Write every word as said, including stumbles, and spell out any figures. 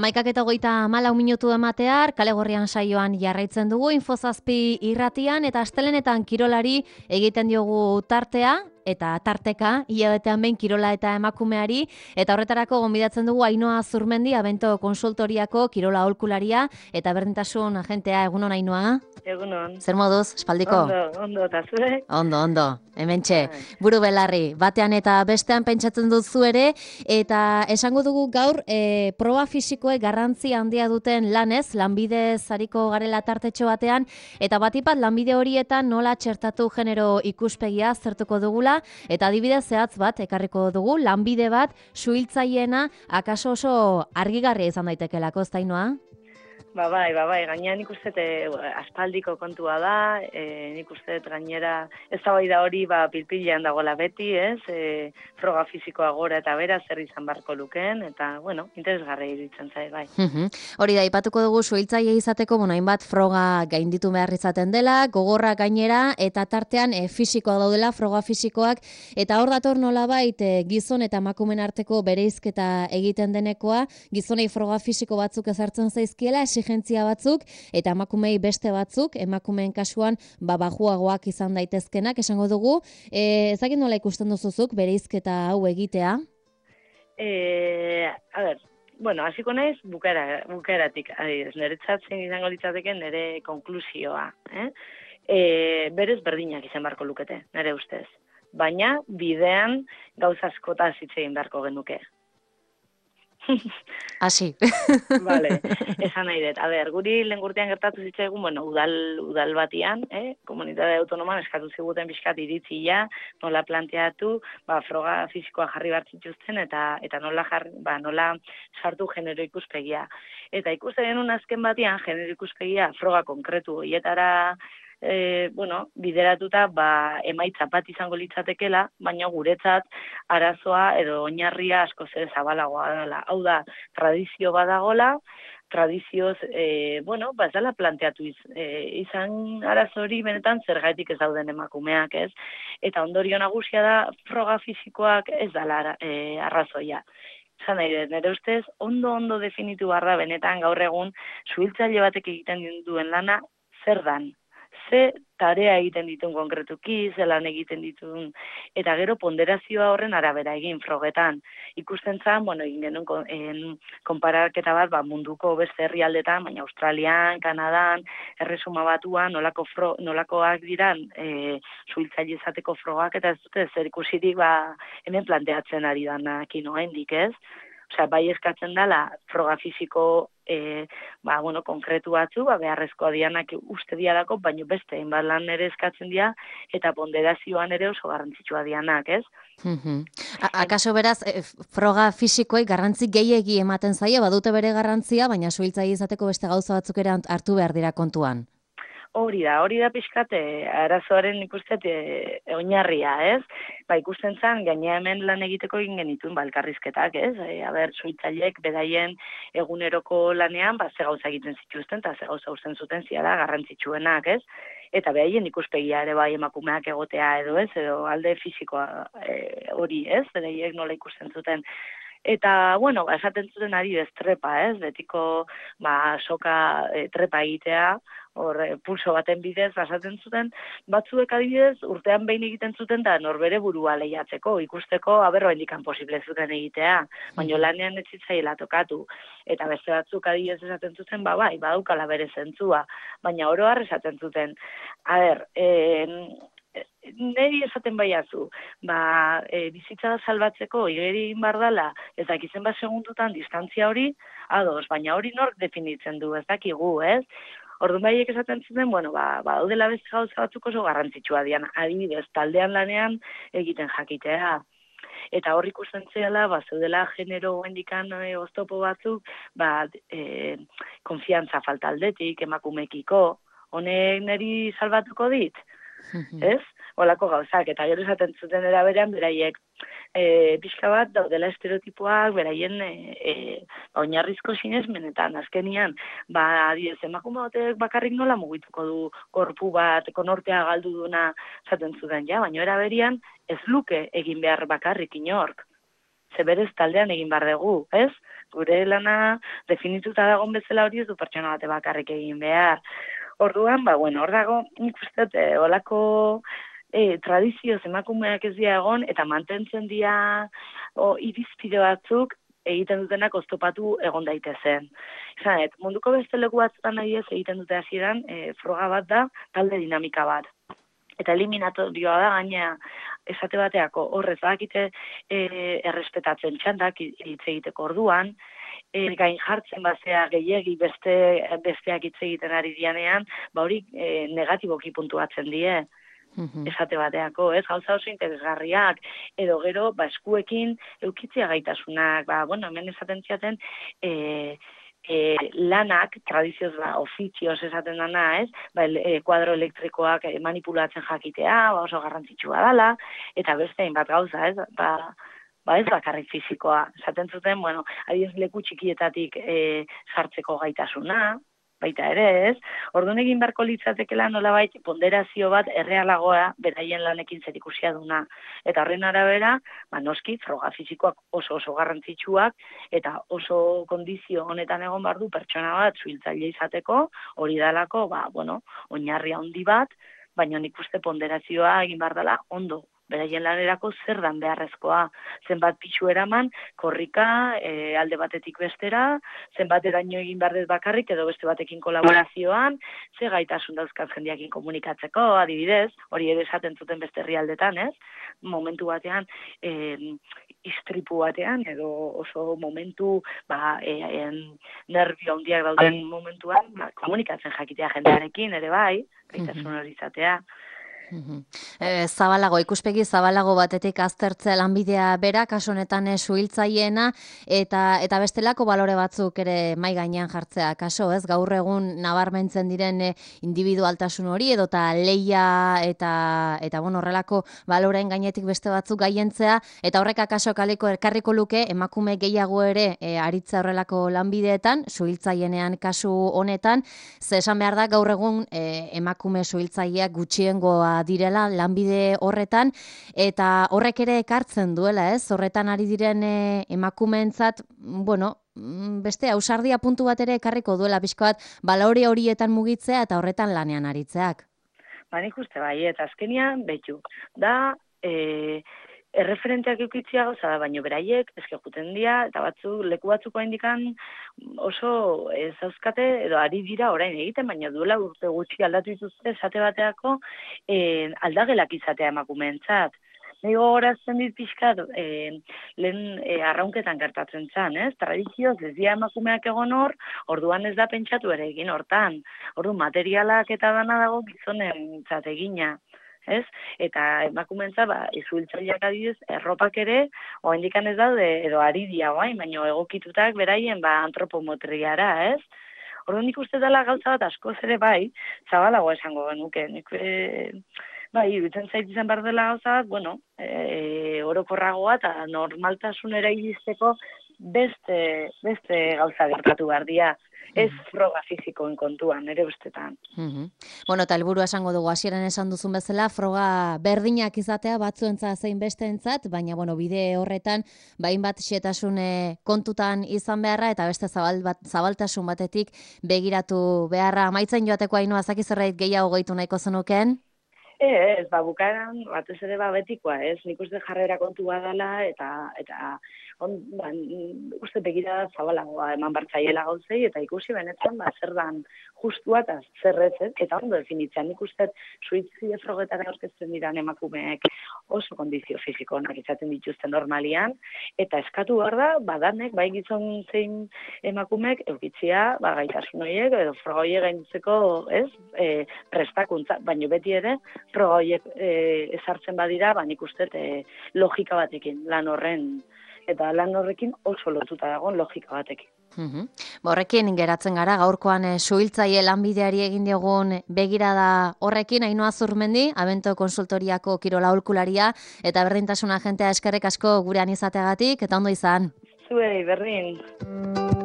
Amaikak eta hogeita hamalau minutu ematear, Kale Gorrian saioan jarraitzen dugu, Infozazpi irratian, eta astelenetan kirolari egiten diogu tartea, eta tarteka, hilabetean behin kirola eta emakumeari, eta horretarako gonbidatzen dugu Ainhoa Zurmendi, Abento konsultoriako kirola aholkularia, eta berdintasun agentea. Egunon, Ainhoa? Egunon. Zer moduz, espaldiko? Ondo, ondo, eta zure? Ondo, ondo, hementxe, buru belarri, batean eta bestean pentsatzen duzu ere, eta esango dugu gaur, e, proba fisikoek garrantzi handia duten lanez, lanbide zariko garela tartetxo batean, eta batipat lanbide horietan nola txertatu genero ikuspegia zertuko dugula, eta adibidez zehatz bat ekarriko dugu, lanbide bat suhiltzaileena akaso oso argigarria izan daitekelako, ez da, Ainhoa? Ba bai, ba bai, gainera nik uste aspaldiko kontua da, e, nik uste gainera ez da bai da hori ba, pilpilean dagoela beti, ez, e, froga fisikoa gora eta bera zer izan barko lukeen, eta, bueno, interesgarria iruditzen zai, bai. Hori da, ipatuko dugu suhiltzaile izateko, bueno, hainbat froga gainditu behar izaten dela, gogorra gainera, eta tartean e, fisikoa daudela, froga fisikoak, eta hor dator nolabait e, gizon eta emakumeen arteko bereizketa egiten denekoa, gizonei froga fisiko batzuk ezartzen zaizkiela, exigentzia batzuk, eta emakumei beste batzuk, emakumeen kasuan ba, bajuagoak izan daitezkenak, esango dugu. E, ezakit nola ikusten duzuzuk bereizketa hau egitea? E, a ber, bueno, hasiko naiz bukaera, bukaeratik, adibidez, niretzat zein izango litzateke nire konklusioa. Eh? E, berez berdinak izan beharko lukete, nire ustez. Baina bidean gauza askotaz hitz egin beharko genuke. Asi. Vale, esan nahi dut. A ber, guri lehen urtean gertatu zitzaigun, bueno, udal, udal batian, eh? Komunitate autonoman eskatu ziguten pixkat iritzia, nola planteatu, ba, froga fisikoa jarri behar zituzten, eta eta nola, jarri, ba, nola sartu genero ikuspegia. Eta ikusten genuen azken batian, genero ikuspegia froga konkretu horietara E, bueno, bideratuta ba, emaitza bat izango litzatekela, baina guretzat arazoa edo oinarria asko zer zabalagoa dela. Hau da, tradizio badagola, tradizioz, e, bueno, ba, ez dela planteatu iz, e, izan arazo hori benetan zergatik ez dauden emakumeak, ez? Eta ondorio nagusia da, froga fisikoak ez dela e, arrazoia. Zan nahi dut, nire ustez, ondo-ondo definitu barra benetan gaur egun suhiltzaile batek egiten duen lana zer dan. Ze tarea egiten ditun konkretuki, ze lan egiten ditun, eta gero ponderazioa horren arabera egin frogetan. Ikusten zan, bueno, egin genuen en, konparaketa bat ba, munduko beste herrialdetan, baina Australian, Kanadan, Erresuma Batuan, nolako fro, nolakoak diran e, suhiltzaile izateko frogak, eta ez dute zer ikusirik ba, hemen planteatzen ari danak inoendik, ez? Osea, bai eskatzen dela froga fisiko e, ba, bueno, konkretu batzu, ba, beharrezkoa dianak uste dialako, baina beste hainbat lan ere eskatzen dira, eta ponderazioan ere oso garrantzitsua dianak, ez? Mm-hmm. Akaso beraz, e, froga fisikoei garrantzi gehiegi ematen zaie, badute bere garrantzia, baina suhiltzaile izateko beste gauza batzuk ere hartu behar dira kontuan. Hori da, hori da pixkate, arazoaren ikustet e, oinarria, ez? Ba, ikusten zen, gainea hemen lan egiteko egin genituen balkarrizketak, ez? E, a ber, suhiltzaileek bedaien eguneroko lanean, ba, ze gauza egiten zituzten, eta ze gauza usten zuten ziala garrantzitsuenak, ez? Eta behaien ikuspegia ere bai emakumeak egotea edo ez, edo alde fisikoa e, hori, ez? Beraiek nola ikusten zuten. Eta, bueno, esaten zuten ari bez trepa, ez? Betiko, ba, soka e, trepa egitea, hor, e, pulso baten bidez, esaten zuten, batzuek adibidez, urtean behin egiten zuten, da norbere burua lehiatzeko, ikusteko, aberro hendikan posible zuten egitea, baina lanean ez zitzaiela tokatu. Eta beste batzuk adibidez esaten zuten, ba, bai, badaukala bere zentzua, baina oro har esaten zuten. A ber, eh, neri esaten baiazu, ba, e, bizitza salbatzeko igeri egin behar dela, ez dakizen bat segundutan distantzia hori, ados, baina hori nork definitzen du, ez dakigu, ez? Orduan baiek esaten zuten, bueno, ba, ba daudela beste gauza batzuk oso garrantzitsua dian, adibidez, taldean lanean egiten jakitea. Eta hor ikusten zela, ba, zeudela genero hendikan e, oztopo batzuk, ba, e, konfiantza falta aldetik, emakumekiko, honek neri salbatuko dit? Ez? Olako gauzak, eta gero esaten zuten eraberean, beraiek e, pixka bat daudela estereotipoak, beraien e, e, oinarrizko sinesmenetan, azkenian, ba, adiez, emakume batek bakarrik nola mugituko du korpu bat, konortea galdu duna, esaten zuten, ja, baina eraberian ez luke egin behar bakarrik inork. Ze berez taldean egin behar dugu, ez? gure lana definituta dagoen bezala hori ez du pertsona bate bakarrik egin behar. Orduan, ba, bueno, hor dago, nik uste dut, eh, olako e, tradizioz emakumeak ez dira egon, eta mantentzen dira o, irizpide batzuk egiten dutenak oztopatu egon daitezen. Izan, et, munduko beste leku batzutan nahi ez egiten dute hasieran, e, froga bat da, talde dinamika bat. Eta eliminatorioa da, gaina esate bateako horrez bakite e, errespetatzen txandak hitz egiteko orduan, e, gain jartzen bazea gehiegi beste, besteak hitz egiten ari dianean, ba hori e, negatiboki puntuatzen die. Esate bateako, ez, gauza oso interesgarriak, edo gero, ba, eskuekin eukitzia gaitasunak, ba, bueno, hemen esaten ziaten, e, e, lanak, tradizioz, ba, ofizioz esaten dana, ez, ba, e, kuadro elektrikoak manipulatzen jakitea, ba, oso garrantzitsua dela, eta beste hainbat gauza, ez, ba, ba ez bakarrik fizikoa, esaten zuten, bueno, adiez leku txikietatik e, sartzeko gaitasuna, baita ere, ez? Orduan egin beharko litzatekela nolabait ponderazio bat errealagoa beraien lanekin zerikusia duna. Eta horren arabera, ba noski froga fisikoak oso oso garrantzitsuak eta oso kondizio honetan egon behar du pertsona bat suhiltzaile izateko, hori dalako, ba, bueno, oinarri handi bat, baina nik uste ponderazioa egin behar dela ondo. Beraien lanerako zer dan beharrezkoa, zenbat pitxu eraman, korrika, e, alde batetik bestera, zenbat eraino egin behar dut bakarrik, edo beste batekin kolaborazioan, ze gaitasun dauzkaz jendeakin komunikatzeko, adibidez, hori ere esaten zuten beste herrialdetan, ez? Momentu batean, e, istripu batean, edo oso momentu, ba, e, en, nervio handiak dauden momentuan, ba, komunikatzen jakitea jendearekin, ere bai, gaitasun hori izatea. E, zabalago, ikuspegi zabalago batetik aztertzea lanbidea bera, kasu honetan suhiltzaileena, eta eta bestelako balore batzuk ere mai gainean jartzea, kaso, ez? Gaur egun nabarmentzen diren e, individualtasun hori edota leia eta eta bueno, horrelako baloreen gainetik beste batzuk gaientzea, eta horrek akaso kaleko elkarriko luke emakume gehiago ere e, aritza horrelako lanbideetan, suhiltzaienean kasu honetan, ze esan behar da gaur egun e, emakume suhiltzaileak gutxiengoa direla lanbide horretan, eta horrek ere ekartzen duela, ez? Horretan ari diren e, emakumeentzat, bueno, beste ausardia puntu bat ere ekarriko duela pixka bat balore horietan mugitzea eta horretan lanean aritzeak. Ba, nik uste bai, eta azkenian, betu, da, e, erreferenteak eukitzia gauza da, baino beraiek, eske juten dira, eta batzu, leku batzuko indikan oso ez zauzkate, edo ari dira orain egiten, baina duela urte gutxi aldatu dituzte, esate bateako e, aldagelak izatea emakumeentzat. Nego horazten dit pixkat, e, lehen e, arraunketan gertatzen zen, ez? Tradizioz, ez dira emakumeak egon hor, orduan ez da pentsatu ere egin hortan. Orduan, materialak eta dana dago gizonen egina. Ez? Eta emakumentza, ba, izuhiltzaileak adibidez, erropak ere, oraindikan ez daude, edo ari dia guain, baina egokitutak beraien, ba, antropometriara, ez? Orduan nik uste dela gauza bat askoz ere bai, zabalago esango genuke, nik e, bai, iruditzen zait izan behar dela gauza bat, bueno, e, orokorragoa eta normaltasunera iristeko beste, beste gauza gertatu behar dira. Ez froga fizikoen kontuan, ere bestetan. Mm-hmm. Bueno, eta helburua esango dugu, hasieran esan duzun bezala, froga berdinak izatea batzuentzat zein besteentzat, baina bueno, bide horretan, bain bat xetasun kontutan izan beharra, eta beste zabal bat, zabaltasun batetik begiratu beharra. Amaitzen joateko Ainhoa, zaki zerbait gehiago gehitu nahiko zenuken? Ez, ba, bukaeran, batez ere ba, betikoa, ez, nik uste jarrera kontua dela, eta, eta on, ba, uste begira zabalagoa eman bartzaiela gauzei, eta ikusi benetan, ba, zer dan justua eta zer ez, ez, eta ondo definitzen, nik uste suhiltzaile frogetara aurkezten diran emakumeek oso kondizio fisiko onak izaten dituzten normalian, eta eskatu behar da, badanek, bai gizon zein emakumeek, eukitzia, ba, gaitasun horiek, edo froga horiek gainditzeko, ez, e, prestakuntza, baino beti ere, froga horiek e, ezartzen badira, ba, nik uste e, logika batekin, lan horren, eta lan horrekin oso lotuta dagoen logika batekin. Mm-hmm. Horrekin geratzen gara, gaurkoan eh, suhiltzaile lanbideari egin diogun begirada horrekin, Ainhoa Zurmendi, Abento Konsultoriako kirola aholkularia eta berdintasun agentea, eskerrik asko gurean izateagatik, eta ondo izan. Zuei, berdin.